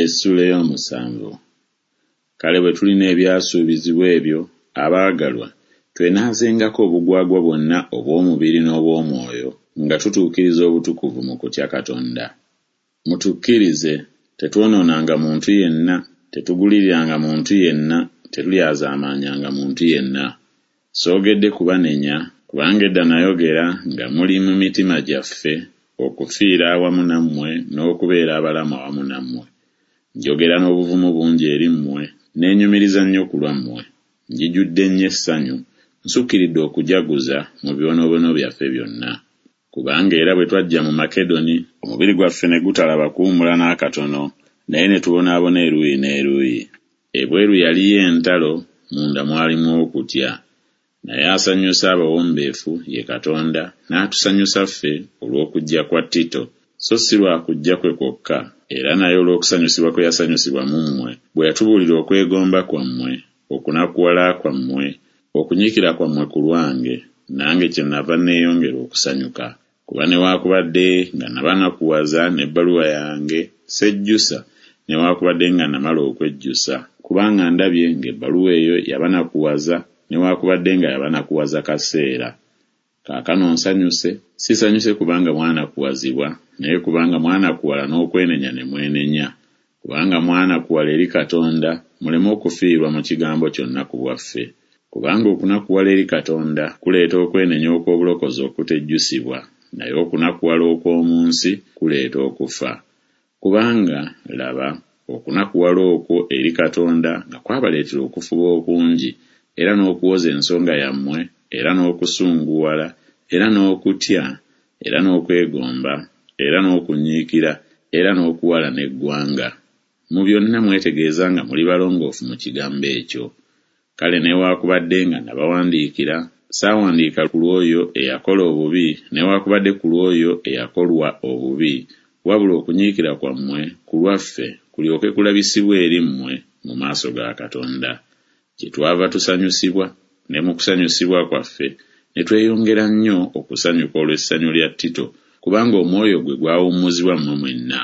Essuula ey'omusanvu. Kale bwe tulina ebyasuubizibwa ebyo, abaagalwa, twenaazengako obugwagwa bwonna obw'omubiri n'obw'omwoyo, nga tutuukiriza obutukuvu mu kutya Katonda. Mutukkirize, tetwonoonanga muntu yenna, tetuguliriranga muntu yenna, tetulyazaamaanyanga muntu yenna. Soogedde kubanenya, kubanga edda nayogera nga muli mu mitima gyaffe, okufiira awamu nammwe n'okubeera abalamu awamu nammwe. Njogera n'obuvumu bungi eri mmwe, neenyumiriza nnyo ku lwammwe. Njijudde nnyo essanyu, nsukkiridde okujaguza mu bibonoobono byaffe byonna. Kubanga era bwe twajja mu Makedoni, omubiri gwaffe ne gutalaba kuwummula n'akatono, naye ne tubonaabona eruuyi n'eruuyi. Ebweru yaliyo entalo, munda mwalimu okutya. Naye asanyusa abawombeefu ye Katonda, n'atusanyusa ffe olw'okujja kwa Tito, so si lwa kujja kwe kwokka, era naye olw'okusanyusibwa kwe yasanyusibwa mu mmwe, bwe yatubuulira okwegomba kwammwe, okunakuwala kwammwe, okunyiikira kwammwe ku lwange, nange kyennava nneeyongera okusanyuka. Kuba newaakubadde nga nabanakuwaza n'ebbaluwa yange, sejjusa, newaakubadde nga namala okwejjusa, kubanga ndabye ng'ebbaluwa eyo yabanakuwaza, newaakubadde nga yabanakuwaza kaseera. Kaakano nsanyuse, sisanyuse kubanga mwanakuwazibwa, naye kubanga mwanakuwala n'okwenenya ne mwenenya. Kubanga mwanakuwala eri Katonda, muleme okufiirwa mu kigambo kyonna ku bwaffe. Kubanga okunakuwala eri Katonda kuleeta okwenenya okw'obulokozi okutejjusibwa, naye okunakuwala okw'omu nsi kuleeta okufa. Kubanga, laba, okunakuwala okwo eri Katonda nga kwabaleetera okufuba okungi, era n'okuwoza ensonga yammwe, era n'okusunguwala, era n'okutya, era n'okwegomba, era n'okunyiikira, era n'okuwalana eggwanga. Mu byonna mwetegeeza nga muli balongoofu mu kigambo ekyo. Kale newaakubadde nga nabawandiikira, saawandiika ku lw'oyo eyakola obubi, newaakubadde ku lw'oyo eyakolwa obubi, wabula okunyiikira kwammwe ku lwaffe kulyoke kulabisibwe eri mmwe mu maaso ga Katonda. Kyetwava tusanyusibwa, ne mu kusanyusibwa kwaffe ne tweyongera nnyo okusanyuka olw'essanyu lya Tito, kubanga omwoyo gwe gwawummuzibwa mmwe mwenna.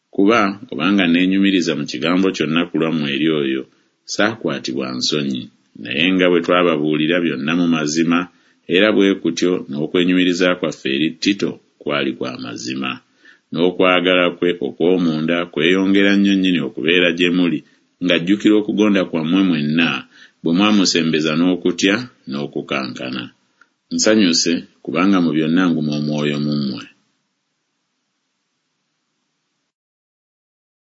Kuba obanga neenyumiriza mu kigambo kyonna ku lwammwe eri oyo, saakwatibwa nsonyi, naye nga bwe twababuulira byonna mu mazima, era bwe kutyo n'okwenyumiriza kwaffe eri Tito kwali kwa mazima. N'okwagala kwe okw'omunda kweyongera nnyo nnyini okubeera gye muli, ng'ajjukira okugonda kwammwe mwenna, bwe mwamusembeza n'okutya n'okukankana. Nsanyuse, kubanga mu byonna nguma omwoyo mu mmwe.